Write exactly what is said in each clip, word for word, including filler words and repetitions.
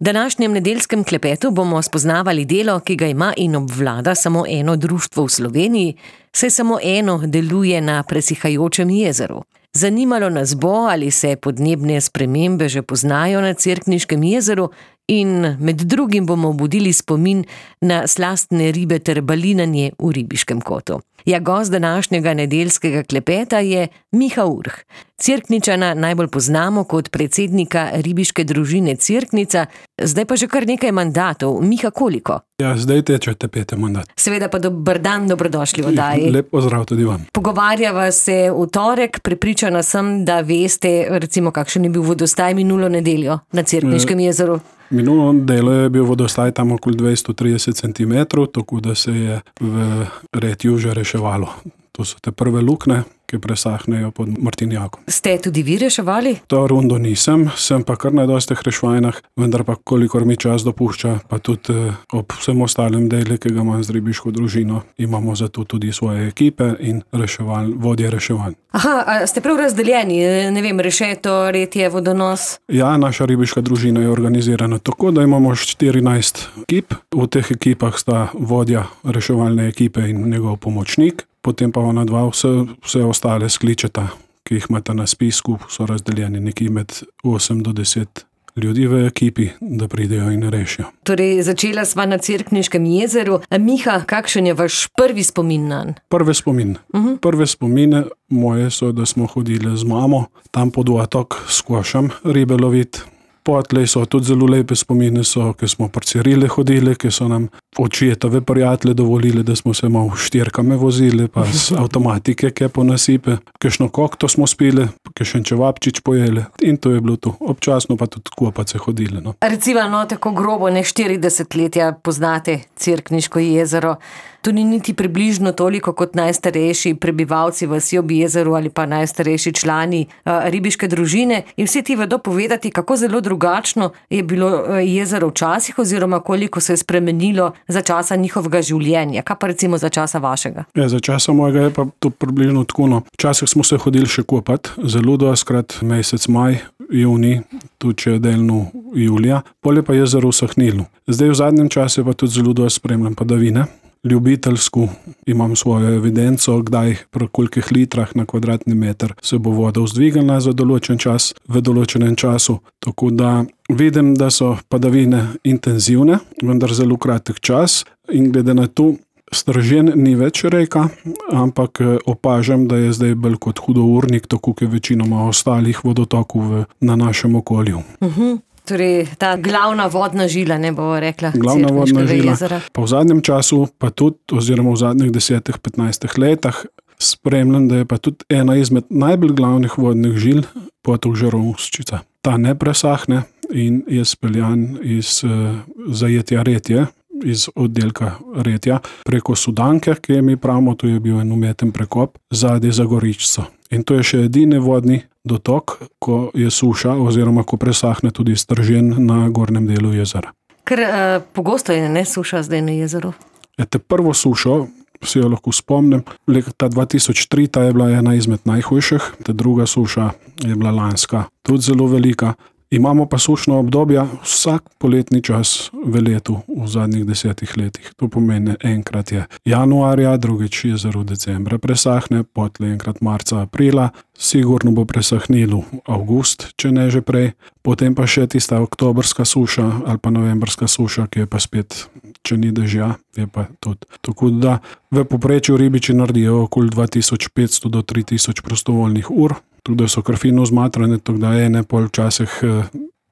V današnjem nedeljskem klepetu bomo spoznavali delo, ki ga ima in obvlada samo eno društvo v Sloveniji, saj samo eno deluje na presihajočem jezeru. Zanimalo nas bo, ali se podnebne spremembe že poznajo na Cerkniškem jezeru in med drugim bomo budili spomin na slastne ribe ter balinanje v Ribiškem kotu. Ja, gost današnjega nedeljskega klepeta je Miha Urh. Cerkničana najbolj poznamo kot predsednika ribiške družine Cerknica, zdaj pa že kar nekaj mandatov. Miha, koliko? Ja, zdaj tečete peti mandat. Seveda pa dober dan, dobrodošli v oddaji. Lep pozdrav tudi vam. Pogovarjava se v torek, prepričana sem, da veste, recimo, kakšen je bil vodostaj minulo nedeljo na Cerkniškem jezeru. Minulo nedeljo je bil vodostaj tam okoli dvesto trideset centimetrov, tako da se je v retju že reševalo. To so te prve lukne, ki presahnejo pod Martinjakom. Ste tudi vi reševali? To rundo nisem, sem pa kar na dostih reševanjah, vendar pa kolikor mi čas dopušča, pa tudi ob vsem ostalem delu, ki ga imam z ribiško družino, imamo zato tudi svoje ekipe in reševal, vodje reševanj. Aha, a ste prav razdeljeni, ne vem, rešeto, retje, vodonos? Ja, naša ribiška družina je organizirana tako, da imamo štirinajst ekip. V teh ekipah sta vodja reševalne ekipe in njegov pomočnik. Potem pa ona dva vse, vse ostale skličeta, ki jih imate na spisku, so razdeljeni nekje med osem do deset ljudi v ekipi, da pridejo in rešijo. Torej, začela sva na Cerkniškem jezeru. Miha, kakšen je vaš prvi spomin nanj? Prve spomin. Uh-huh. Prve spomine moje so, da smo hodili z mamo tam pod otok s košem ribe loviti. Potlej so tudi zelo lepe spomine, so, ki smo pri Cirili hodili, ki so nam očetove prijatelje dovolili, da smo se malo štirkame vozili, pa z avtomatike, ki po nasipe, kakšno kokto smo spili, kakšen čevapčič pojeli in to je bilo to. Občasno pa tudi kopace hodili. No. Recimo, no, tako grobo, ne štirideset letja poznate Cerkniško jezero. To ni niti približno toliko kot najstarejši prebivalci vasi ob jezeru ali pa najstarejši člani uh, ribiške družine in vsi ti vedo povedati, kako zelo drugačno je bilo uh, jezero včasih oziroma koliko se je spremenilo za časa njihovega življenja. Kaj pa recimo za časa vašega? Ja, za časa mojega je pa to približno tako. No. Včasih smo se hodili še kopat, zelo doskrat mesec maj, juni, tudi če delno julija, polje pa jezero usahnilo. Zdaj v zadnjem času pa tudi zelo dosti spremljam padavine. Ljubiteljsko imam svojo evidenco, kdaj pri kolikih litrah na kvadratni meter se bo voda vzdvigala za določen čas, v določenem času. Tako da vidim, da so padavine intenzivne, vendar zelo kratek čas in glede na to, Stržen ni več reka, ampak opažam, da je zdaj bolj kot hudournik, tako kot večinoma ostalih vodotokov v, na našem okolju. Uh-huh. Torej, ta glavna vodna žila, ne bo rekla, glavna vodna žila. Jezera. Pa v zadnjem času, pa tudi, oziroma v zadnjih desetih, petnajstih letah, spremljam, da je pa tudi ena izmed najbolj glavnih vodnih žil potok Žarovščica. Ta ne presahne in je speljan iz uh, zajetja Retje, iz oddelka Retja, preko Sudanke, ki je mi pravimo, to je bil en umeten prekop, zadaj za Goričico. In to je še edini vodni dotok, ko je suša oziroma ko presahne tudi Stržen na gornjem delu jezera. Ker uh, pogosto je ne suša zdaj na jezeru? Ete prvo sušo, si jo lahko spomnim, leta dva tisoč tri ta je bila ena izmed najhujših, ta druga suša je bila lanska, tudi zelo velika. Imamo pa sušno obdobja vsak poletni čas v letu v zadnjih desetih letih. To pomeni, enkrat je januarja, drugič jezero decembra presahne, potlej enkrat marca, aprila, sigurno bo presahnilo avgust, če ne že prej, potem pa še tista oktobrska suša ali pa novembrska suša, ki je pa spet, če ni dežja, je pa tudi. Tako da v povprečju ribiči naredijo okoli dva tisoč petsto do tri tisoč prostovoljnih ur, tudi so kar fino zmatrane, tako da ene pol včasih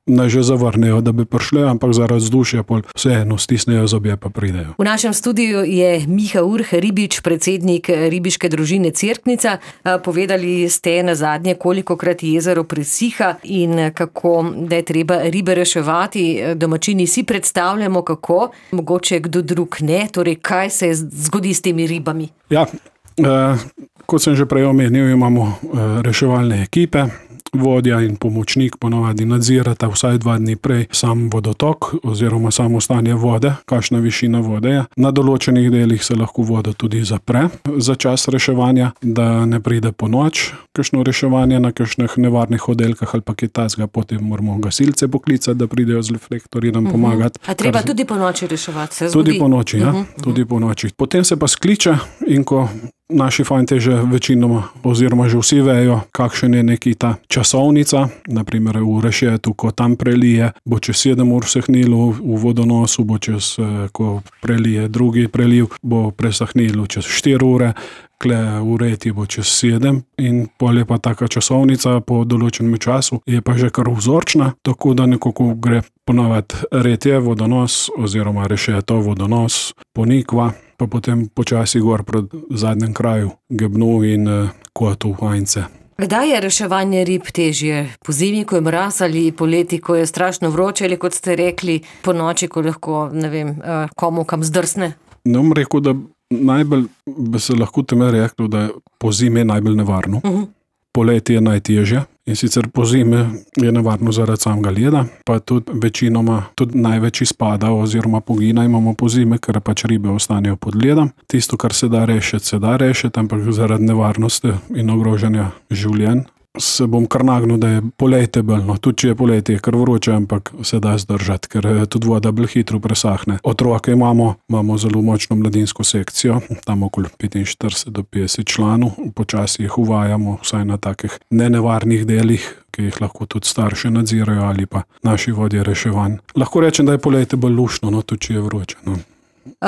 naj že zavrnejo, da bi prišle, ampak zaradi vzdušja pol vseeno stisnejo zobje pa pridejo. V našem studiu je Miha Urh, ribič, predsednik ribiške družine Cerknica. Povedali ste na zadnje, kolikokrat jezero presiha in kako, da je treba ribe reševati. Domačini si predstavljamo, kako, mogoče kdo drug ne, torej kaj se zgodi s temi ribami? Ja, eh, kot sem že prej omenil, imamo eh, reševalne ekipe, vodja in pomočnik ponovadi nadzirata vsaj dva dni prej sam vodotok oziroma samo stanje vode, kakšna višina vode je. Na določenih delih se lahko voda tudi zapre za čas reševanja, da ne pride po noč kakšno reševanje na kakšnih nevarnih oddelkah ali pa kaj takega, potem moramo gasilce poklicati, da pridejo z reflektorji nam pomagati. A treba tudi po noči reševati, se zgodi? Tudi po noči, ja, tudi po noči. Potem se pa skliče in ko naši fantje že večinoma oziroma že vsi vejo, kakšen je neki ta časovnica, naprimer v Rešetu, ko tam prelije, bo čez sedem ur vsehnilo, v vodonosu bo čez, ko prelije drugi preliv, bo presahnilo čez štiri ure, kle v Reti bo čez sedem in pol je pa taka časovnica po določenem času, je pa že kar vzorčna, tako da nekako gre ponovati Retje, vodonos oziroma Rešeto, vodonos, Ponikva, pa potem počasi gor pred zadnjem kraju, Gebnu in Kotu, Hajnce. Kdaj je reševanje rib težje? Po zimi, ko je mraz, ali poleti, ko je strašno vroče, ali kot ste rekli, po noči, ko lahko, ne vem, komu kam zdrsne? Ne bom rekel, da najbolj bi se lahko teme reklo, da je po zimi najbolj nevarno. Uh-huh. Poleti je najtežje in sicer po zimi je nevarno zaradi samega leda, pa tudi večinoma tudi največ izpada oziroma pogina imamo po zimi, ker pač ribe ostanejo pod ledom. Tisto, kar se da rešiti, se da rešiti, ampak zaradi nevarnosti in ogrožanja življenj se bom kar nagnil, da je poletje belno. Tudi če je poletje kar vroče, ampak se da zdržati, ker tudi voda bolj hitro presahne. Otroke imamo, imamo zelo močno mladinsko sekcijo, tam okoli petinštirideset do petdeset članov, počasi jih uvajamo, vsaj na takih nenevarnih delih, ki jih lahko tudi starše nadzirajo ali pa naši vodje reševanj. Lahko rečem, da je poletje bolj luštno, no, tudi če je vroče. No.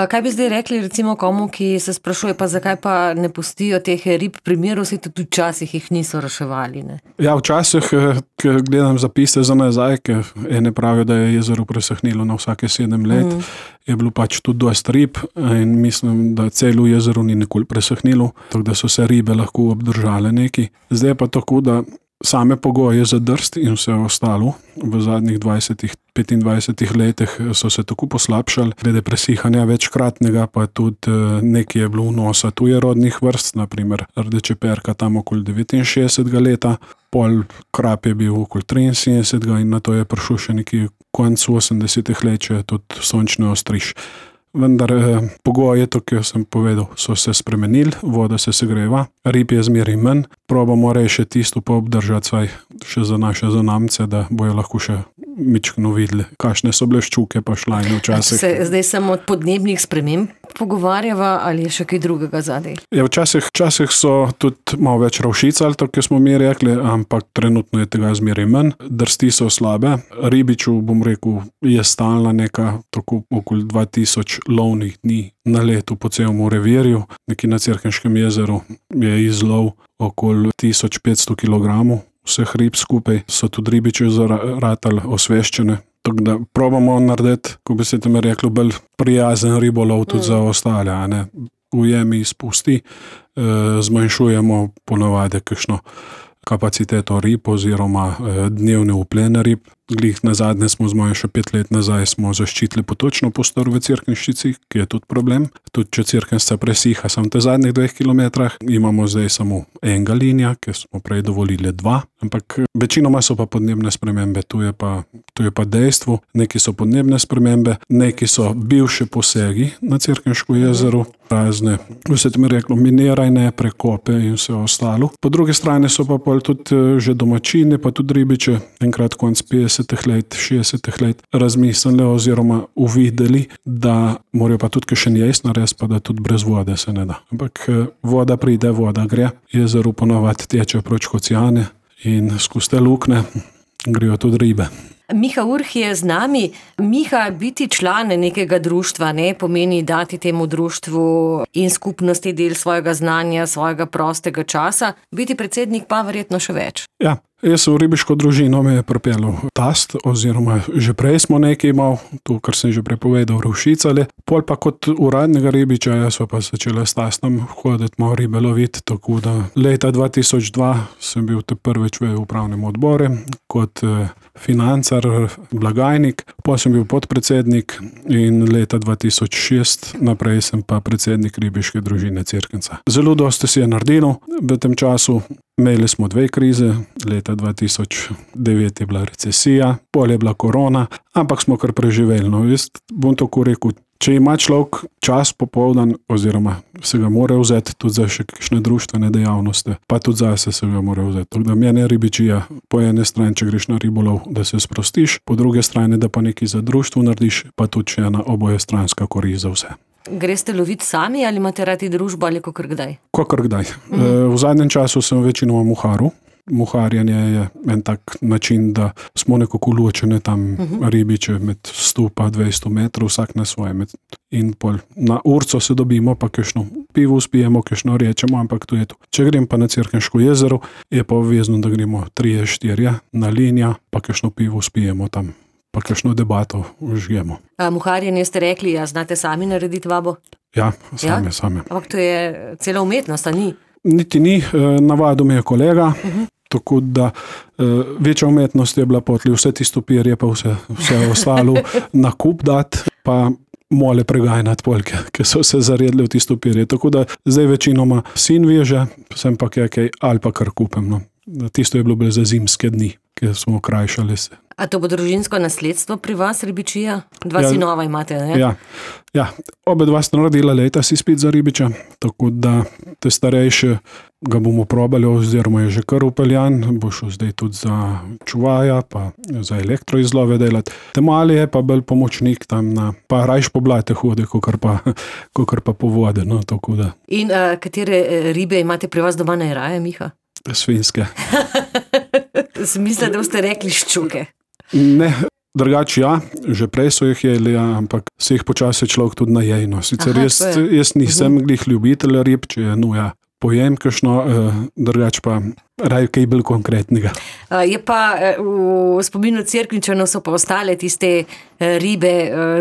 Kaj bi zdaj rekli recimo komu, ki se sprašuje, pa zakaj pa ne pustijo teh rib primerov, se tudi včasih jih niso reševali, ne? Ja, včasih, ko gledam zapise za nazaj, ker ene pravijo, da je jezero presahnilo na vsake sedem let, mm. je bilo pač tudi dosti rib in mislim, da celo jezero ni nikoli presahnilo, tako da so se ribe lahko obdržale neki. Zdaj pa tako, da same pogoje za drst in vse ostalo v zadnjih dvajsetih, petindvajsetih letih so se tako poslabšali, glede presihanja večkratnega, pa tudi nekaj je bilo vnosa tujerodnih vrst, naprimer rdečeperka tam okoli devetinšestdesetega leta, pol krap je bil okoli triinsedemdesetega in na to je prišel še neki konec osemdesetih let, če je tudi sončni ostriž. Vendar eh, pogoje, to, ki sem povedal, so se spremenili, voda se segreva, rib je zmeraj manj, probamo rešiti tisto pa obdržati svaj še za naše zanamce, da bojo lahko še mičkno videli, kakšne so bile ščuke pa šlajne včasih. Se zdaj samo od podnebnih sprememb pogovarjava ali je še kaj drugega zadaj? Ja, včasih, včasih so tudi malo več ravšic, ali to, ki smo mi rekli, ampak trenutno je tega zmeraj manj, drsti so slabe, ribiču, bom rekel, je stalna neka tako okoli dva tisoč lovnih dni na letu po celem revirju, nekje na Cerkniškem jezeru je izlov okoli tisoč petsto kilogramov, vseh rib skupaj so tudi ribiči zaratali osveščene. Tako da probamo narediti, ko bi se tam reklo, bolj prijazen ribolov tudi mm. za ostale, a ne. Ujemi izpusti, e, zmanjšujemo ponavadi kakšno kapaciteto rib oziroma e, dnevne uplene rib. Glih nazadnje smo z mojo še pet let nazaj smo zaščitili potočno prostor v Cerkniščici, ki je tudi problem. Tudi če Cerknica presiha sam te zadnjih dveh kilometrah, imamo zdaj samo enega linija, ki smo prej dovolili dva, ampak večinoma so pa podnebne spremembe, tu je pa, tu je pa dejstvo, neki so podnebne spremembe, neki so bivše posegi na Cerkniško jezero, razne, vse tem reklo, minirajne, prekope in vse ostalo. Po drugi strani so pa pol tudi že domačini, pa tudi ribiče, enkrat konc petdesetih let, šestdesetih let razmislili oziroma uvideli, da morajo pa tudi še njejst narediti, pa da tudi brez vode se ne da. Ampak voda pride, voda gre, jezero ponovadi teče proč oceane in skozi te lukne grejo tudi ribe. Miha Urh je z nami. Miha, biti član nekega društva ne pomeni dati temu društvu in skupnosti del svojega znanja, svojega prostega časa. Biti predsednik pa verjetno še več. Ja, jaz v ribiško družino me je pripeljal tast, oziroma že prej smo nekaj imel, to, kar sem že prepovedal, ravšicali. Pol pa kot uradnega ribiča, jaz pa začela s tastom hoditi malo ribe loviti, tako da leta dva tisoč dva sem bil te prvič v upravnem odboru kot financar, blagajnik, pa sem bil podpredsednik in leta dva tisoč šest naprej sem pa predsednik ribiške družine Cerknica. Zelo dosti si je naredilo v tem času, Imeli smo dve krize, leta dva tisoč devet je bila recesija, pol je bila korona, ampak smo kar preživeli. No, jaz bom tako rekel, če ima človek čas popoldan, oziroma se ga mora vzeti tudi za še kakšne društvene dejavnosti, pa tudi zase se ga mora vzeti. Tako da mene ribičija, po ene strani, če greš na ribolov, da se sprostiš, po druge strani, da pa nekaj za društvo narediš, pa tudi še ena obojestranska korist za vse. Greste loviti sami ali imate radi družbo ali kakor kdaj? Kakor kdaj. Mhm. V zadnjem času sem večinoma muharu. Muharjanje je en tak način, da smo nekako ločene tam uh-huh. ribiče med sto pa dvesto metrov, vsak na svoje. In pol na urco se dobimo, pa kakšno pivo spijemo, kakšno rečemo, ampak to je to. Če grem pa na Cerkniško jezero, je pa obvezno, da gremo trije, štirje na linija, pa kakšno pivo spijemo tam, pa kakšno debato užijemo. A muharjenje ste rekli, ja, znate sami narediti vabo? Ja, same, ja? same. Ampak to je cela umetnost, a ni? Niti ni, navadil me je kolega, uh-huh. tako da večja umetnost je bila potli vse tisto pirje, pa vse, vse ostalo na kup dati, pa mole pregajnati polke, ki so se zaredili v tisto pirje. Tako da zdaj večinoma sin veže, sem pa kaj ali pa kar kupem. No. Tisto je bilo bolj za zimske dni, ki smo krajšali se. A to bo družinsko nasledstvo pri vas, ribičija? Dva ja, sinova imate, ne? Ja, ja. Obe dva sta naredila leta si spet za ribiča, tako da te starejše ga bomo probali, oziroma je že kar upeljan, bo šel zdaj tudi za čuvaja, pa za elektroizlove delati. Te mali je pa bolj pomočnik tam na, pa rajš po blate hodi, kakor pa, kakor pa po vode, no, tako da. In uh, katere ribe imate pri vas doma najraje, Miha? Svinjske. Smisla, da boste rekli ščuke. Ne, drugače ja, že prej so jih jeli, ja, ampak se jih počasi človek tudi najejno. Sicer Aha, jaz, jaz nisem uh-huh. glih ljubitelj rib, če je nuja pojem kakšno, eh, drugače pa raj kaj bolj konkretnega. Je pa v spominu Cerkničanov so pa ostale tiste ribe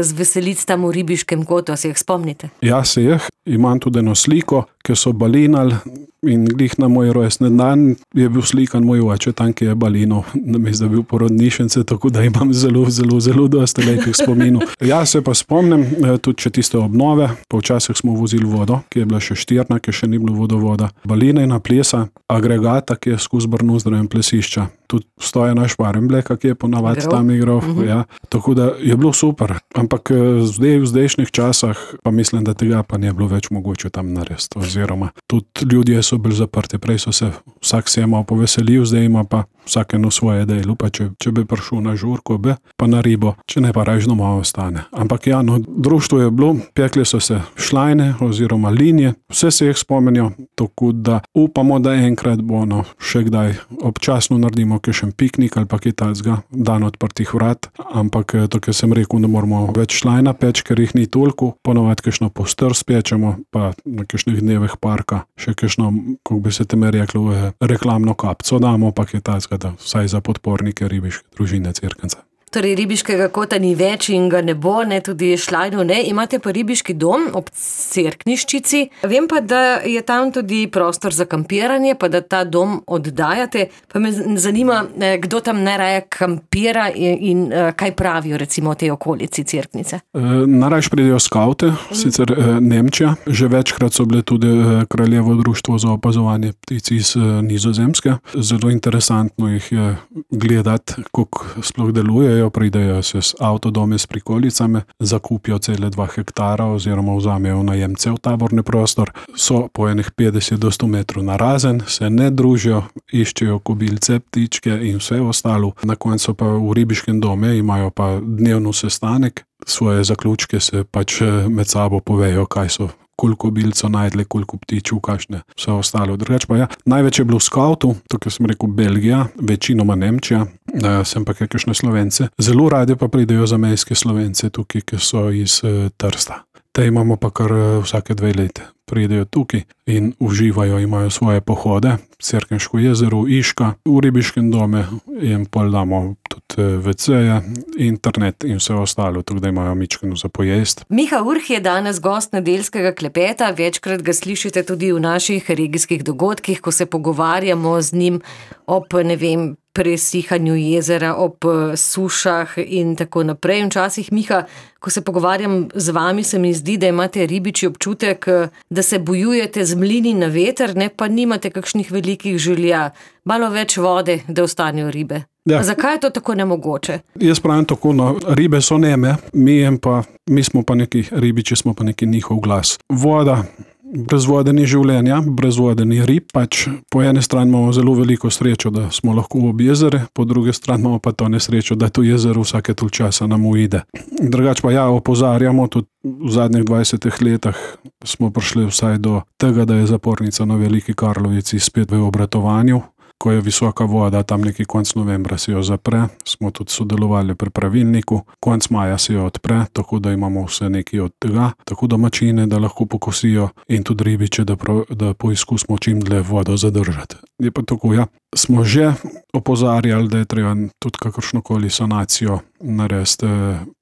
z veselic tam v ribiškem kotu, se jih spomnite? Ja, se jih. Imam tudi eno sliko, ki so balinali in glih na moj rojstni dan je bil slikan moj oče, tam, ki je balinal, namesto da bil porodnišence, tako da imam zelo, zelo, zelo dosti lepih spominov. Ja, se pa spomnim, tudi če tiste obnove, pa včasih smo vozili vodo, ki je bila še štirna, ki še ni bilo vodovoda. Balinejna plesa, agregata, ki je skozi Brno zdravim plesišča. Tudi stoje naš Parembleka, ki je ponavadi tam igral. Uh-huh. Ja. Tako da je bilo super. Ampak zdaj v zdajšnjih časah pa mislim, da tega pa ne bilo več mogoče tam narediti. Oziroma tudi ljudje so bili zaprti. Prej so se vsak se je malo poveselil, zdaj ima pa vsak eno svoje delo. Pa če, če bi prišel na žurko, bi pa na ribo, če ne pa rajžno malo ostane. Ampak ja, no, društvo je bilo, pekli so se šlajne oziroma linije, vse se jih spomenijo, tako da upamo, da enkrat bo no, še kdaj občasno naredimo kakšen piknik ali pa kaj takega, dan odprtih vrat, ampak tako sem rekel, da moramo več šlajna peč, ker jih ni toliko, ponovadi kakšno postrv spečemo, pa na kakšnih dnevih parka, še kakšno, kako bi se teme reklo, reklamno kapco damo, pa kaj takega, da vsaj za podpornike ribiške družine Cerknca. Torej ribiškega kota ni več in ga ne bo, ne tudi šlajno ne. Imate pa ribiški dom ob Cerkniščici. Vem pa, da je tam tudi prostor za kampiranje, pa da ta dom oddajate. Pa me zanima, kdo tam najraje kampira in, in kaj pravijo recimo o tej okolici Cerknice. E, najrajš pridejo skavte, sicer e, Nemčija. Že večkrat so bile tudi e, Kraljevo društvo za opazovanje ptic iz e, Nizozemske. Zelo interesantno jih je gledati, kako sploh delujejo. Pridejo se s avtodome s prikolicami, zakupijo cele dva hektara oziroma vzamejo najemce v taborni prostor, so po enih petdeset do sto metrov narazen, se ne družijo, iščejo kobilce, ptičke in vse ostalo. Na koncu pa v ribiškem dome imajo pa dnevno sestanek, svoje zaključke se pač med sabo povejo, kaj so koliko bilco najdli, koliko ptičev, kakšne, vse ostalo. Drugač pa ja, največ je bilo v skautu, tukaj sem rekel Belgija, večinoma Nemčija, da sem pa kakšne Slovence. Zelo radi pa pridejo zamejske Slovence tukaj, ki so iz uh, Trsta. Te imamo pa kar uh, vsake dve leti. Pridejo tukaj in uživajo, imajo svoje pohode, Cerkniško jezero, Iška, v ribiškem dome in pol damo tudi veceje, internet in vse ostalo, tako da imajo mičkeno za pojest. Miha Urh je danes gost nedeljskega klepeta, večkrat ga slišite tudi v naših regijskih dogodkih, ko se pogovarjamo z njim ob, ne vem, presihanju jezera, ob sušah in tako naprej. Včasih, Miha, ko se pogovarjam z vami, se mi zdi, da imate ribiči občutek, da se bojujete z mlini na veter, ne, pa nimate kakšnih velikih želja, malo več vode, da ostanejo ribe. Ja. Zakaj je to tako nemogoče? Jaz pravim tako, no, ribe so neme, mi, pa, mi smo pa neki ribiči, smo pa neki njihov glas. Voda, brez vode ni življenja, brez vode ni rib, pač po ene strani imamo zelo veliko srečo, da smo lahko ob jezere, po druge strani imamo pa to nesrečo, da to jezero vsake toliko časa nam uide. Drugač pa ja, opozarjamo, tudi v zadnjih dvajsetih letih smo prišli vsaj do tega, da je zapornica na Veliki Karlovici spet v obratovanju. Ko je visoka voda, tam neki konc novembra se jo zapre, smo tudi sodelovali pri pravilniku, konc maja se jo odpre, tako da imamo vse nekaj od tega, tako domačine, da lahko pokosijo in tudi ribiče, da, prav, da poizkusimo čim dlje vodo zadržati. Je pa tako, ja, smo že opozarjali, da je treba tudi kakršnokoli sanacijo narediti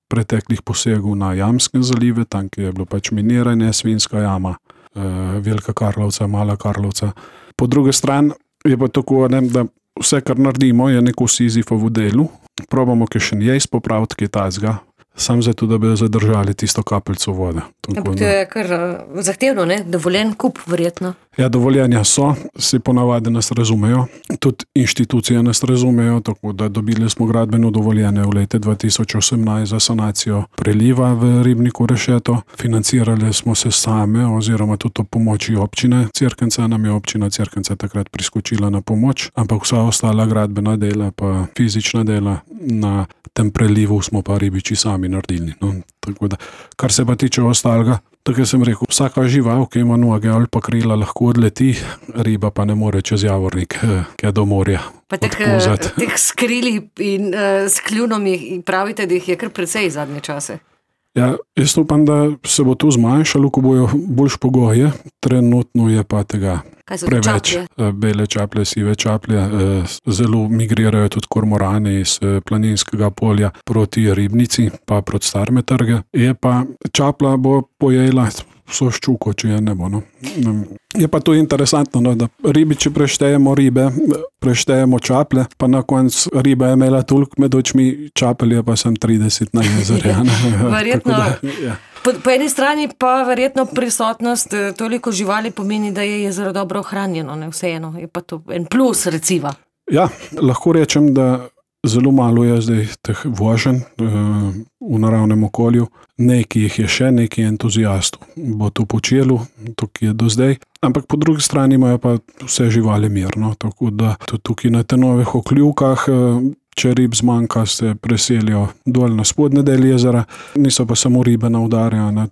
preteklih posegov na Jamskem zalive, tam, ki je bilo pač miniranje, Svinjska jama, Velika Karlovca, Mala Karlovca. Po druge strani je pa tako, ne, da vse, kar naredimo, je neko Sizifovo delu. Probamo kaj še njej popraviti, kaj tazga, sam zato, da bi zadržali tisto kapljico vode. Tako, to je kar uh, zahtevno, ne? Dovoljen kup, verjetno. Ja, dovoljenja so, si ponavadi nas razumejo, tudi inštitucije nas razumejo, tako da dobili smo gradbeno dovoljenje v lete dva tisoč osemnajst za sanacijo preliva v ribniku Rešeto. Financirali smo se same, oziroma tudi o pomoči občine Cerknica, nam je občina Cerknica takrat priskočila na pomoč, ampak vsa ostala gradbena dela pa fizična dela na tem prelivu smo pa ribiči sami naredili. No, tako da, kar se pa tiče ostalega, tako sem rekel, vsaka žival, ki ima noge ali pa krila, lahko odleti, riba pa ne more čez Javornik, ki je do morja. Pa teh, teh skrili in uh, s kljunom pravite, da jih je kar precej zadnje čase. Ja, jaz upam, da se bo to zmanjšalo, ko bojo boljš pogoje, trenutno je pa tega preveč. Čaplje? Bele čaplje, sive čaplje, zelo migrirajo tudi kormorani iz planinskega polja proti ribnici, pa proti Starme trge. Je pa čapla bo pojela vso ščuko, če je ne bo. No. Je pa to interesantno, no, da ribiči preštejemo ribe, preštejemo čaple, pa na koncu riba je imela toliko med očmi, čapelje pa sem trideset na jezere. Verjetno. Da, ja. Po, po eni strani pa verjetno prisotnost toliko živali pomeni, da je jezero dobro ohranjeno, ne vseeno. Je pa to en plus, recimo. Ja, lahko rečem, da zelo malo je zdaj teh voženj uh, v naravnem okolju. Nekaj jih je še, nekaj entuzijastov bo to počelo, to, ki je do zdaj. Ampak po drugi strani imajo pa vse živali mirno, tako da tudi tukaj na te novih okljuvkah, če rib zmanjka, se preselijo dol na spodnje del jezera. Niso pa samo ribe na udarja na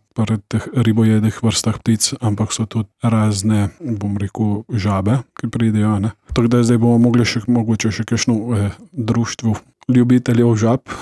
teh ribojedih vrstah ptic, ampak so tudi razne, bom rekel, žabe, ki pridejo. Ne? Tako da zdaj bomo mogli še, mogoče še kakšno eh, društvo ljubiteljev žab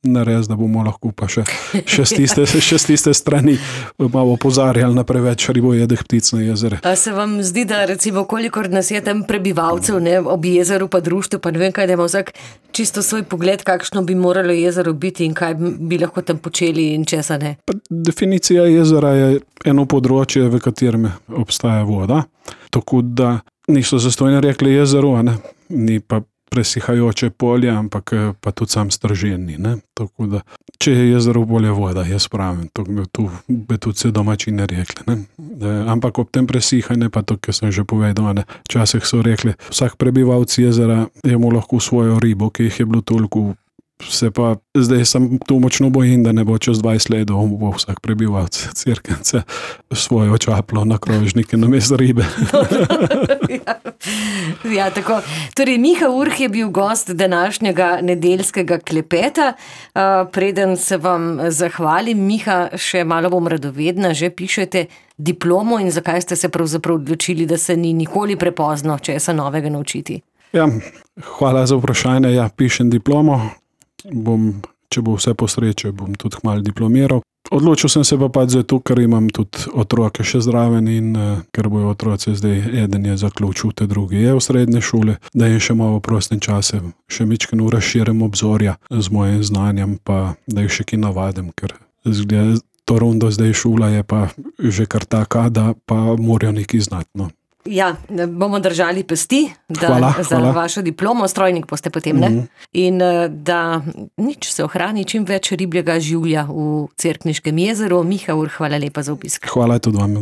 narediti, da bomo lahko pa še, še, s tiste, še s tiste strani malo opozarjali na preveč ribojedih ptic na jezere. A se vam zdi, da recimo kolikor nas je tam prebivalcev, ne, ob jezeru pa društvu, pa ne vem kaj, da ima vsak čisto svoj pogled, kakšno bi moralo jezero biti in kaj bi lahko tam počeli in česa ne? Pa definicija jezera je eno področje, v katerem obstaja voda, tako da niso zastojno rekli jezero, ne? Ni pa presihajoče polje, ampak pa tudi sam strženi. Ne? Tako da, če je jezero bolje voda, jaz pravim, to bi, tu, bi tudi se domačine rekli. Ne? Da, ampak ob tem presihanje, pa to, ki sem že povedal, ne? Včasih so rekli, vsak prebivalc jezera je mu lahko svojo ribo, ki jih je bilo toliko. Se pa zdaj sem tu močno bojim, da ne bo čez dvajset let, da bo vsak prebivalc Cerknice svojo čaplo na krožnike namesto ribe. ja, ja, tako. Torej, Miha Urh je bil gost današnjega nedeljskega klepeta. Uh, preden se vam zahvalim, Miha, še malo bom radovedna, že pišete diplomo in zakaj ste se pravzaprav odločili, da se ni nikoli prepozno česa novega naučiti? Ja, hvala za vprašanje. Ja, pišem diplomo. Bom, če bo vse po sreče, bom tudi kmalu diplomiral. Odločil sem se pa pač zato, ker imam tudi otroke še zraven in uh, ker bojo otroci zdaj, eden je zaključil, te drugi je v srednje šole, da jim še malo v prostem čase, še mičkeno razširim obzorja z mojim znanjem, pa da jih še ki navadim, ker zgleda, to rundo zdaj šola je pa že kar taka, da pa morajo nekaj znati. No. Ja, bomo držali pesti da, hvala, za hvala. vašo diplomo, strojnik boste potem, ne? Mm-hmm. In da nič se ohrani čim več ribjega življa v Cerkniškem jezeru. Miha Ur, hvala lepa za obisk. Hvala tudi vam.